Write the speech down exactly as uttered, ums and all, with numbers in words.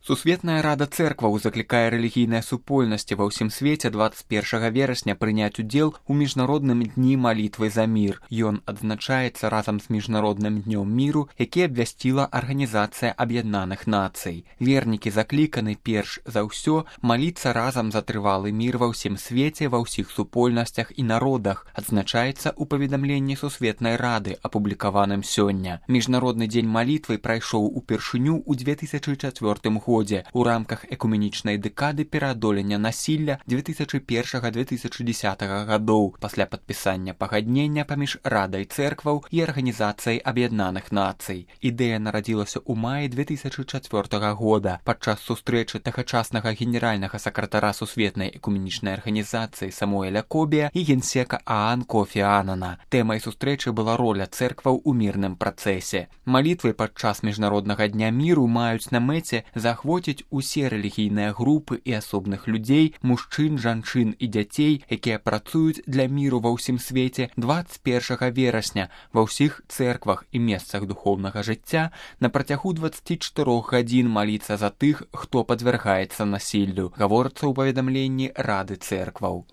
Сусветная рада цэркваў заклікае рэлігійныя супольнасці ва ўсім свеце дваццаць першага верасня прыняць удзел у міжнародным дні малітвы за мір. Ён адзначаецца разам з міжнародным днём міру, які абвясціла Арганізацыя Аб'яднаных Нацый. Вернікі закліканы перш за ўсё маліцца разам за трывалы мір ва ўсім свеце, ва ўсіх супольнасцях і народах, адзначаецца ў паведамленні Сусветнай рады, апублікаваным сёння. Міжнародны дзень малітвы прайшоў упершыню ў дзве тысячы чацвёртым годзе у рамках экуменічнай дэкады пераадолення насілля дзве тысячы першага - дзве тысячы дзесятага гадоў пасля падпісання пагаднення паміж Радай цэркваў і Арганізацыяй Аб'яднаных Нацый. Ідэя нарадзілася ў маі дзве тысячы чацвёртага года падчас сустрэчы тагачаснага генеральнага сакратара Сусветнай экуменічнай арганізацыі Самуэля Кобія і генсека Аан Кофі Анана. Тэмай сустрэчы была роля цэркваў у мірным працэсе. Малітвы падчас міжнароднага дня міру маюць на мэце захвоціць усе рэлігійныя групы і асобных людзей, мужчын, жанчын і дзяцей, якія працуюць для міру ва ўсім свеце дваццаць першага верасня ва ўсіх цэрквах і месцах духоўнага жыцця на працягу дваццаці чатырох гадзін маліцца за тых, хто падвяргаецца насіллю, гаворыцца ў паведамленні Рады цэркваў.